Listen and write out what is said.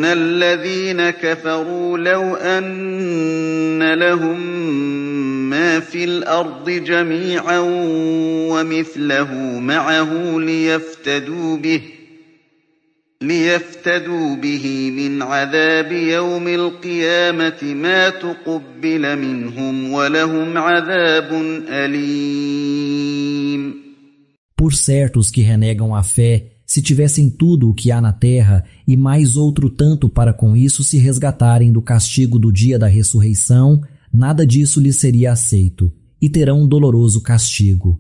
الذين كفروا لو أن لهم ما في الأرض جميعا ومثله معه ليفتدوا به من عذاب يوم القيامة ما تقبل منهم ولهم عذاب أليم. Por certo, os que renegam a fé, se tivessem tudo o que há na terra e mais outro tanto para com isso se resgatarem do castigo do dia da ressurreição, nada disso lhes seria aceito, e terão um doloroso castigo.